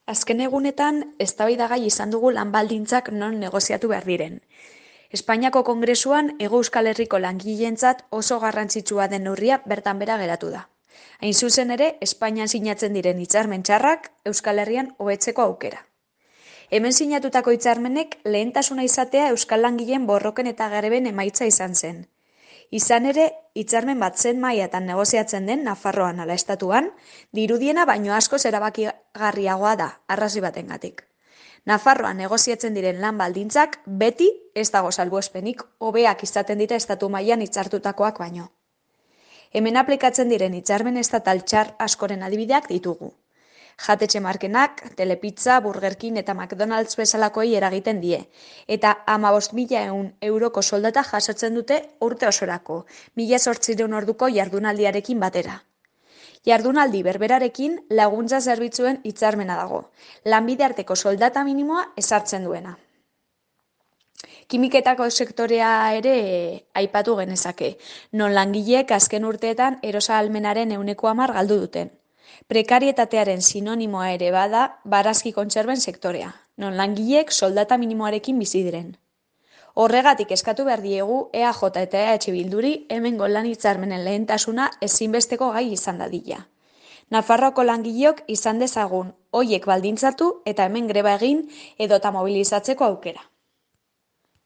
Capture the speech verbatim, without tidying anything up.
Azken egunetan, eztabaidagai izan dugu lan baldintzak non negoziatu behar diren. Espainiako Kongresuan Hego Euskal Herriko langileentzat oso garrantzitsua den neurria bertan bera geratu da. Hain zuzen ere, Espainian sinatzen diren hitzarmen txarrak Euskal Herrian hobetzeko aukera. Hemen sinatutako hitzarmenek lehentasuna izatea Euskal langileen borroken eta greben emaitza izan zen. Izan ere, hitzarmen bat zen mailatan negoziatzen den Nafarroan ala estatuan, dirudiena baino askoz erabakigarriagoa da, arrazoi batengatik. Nafarroan negoziatzen diren lan baldintzak beti ez dago salbuespenik hobeak izaten dira estatu mailan hitzartutakoak baino. Hemen aplikatzen diren hitzarmen estatal txar askoren adibideak ditugu. Jatetxe markenak, Telepizza, Burger King eta McDonald's bezalakoei eragiten die, eta hamabost mila euroko soldata jasotzen dute urte osorako, mila zortziehun orduko jardunaldiarekin batera. Jardunaldi berberarekin laguntza zerbitzuen hitzarmena dago, lanbide arteko soldata minimoa ezartzen duena. Kimiketako sektorea ere aipatu genezake, non langileek azken urteetan erosa ahalmenaren ehuneko hamar galdu duten. Prekarietatearen sinonimoa ere bada barazki kontserben sektorea, non langileek soldata minimoarekin bizi diren. Horregatik eskatu behar diegu E A J eta E H Bilduri hemengo lan hitzarmenen lehentasuna ezinbesteko gai izan dadila. Nafarroako langileok izan dezagun hoiek baldintzatu eta hemen greba egin edota mobilizatzeko aukera.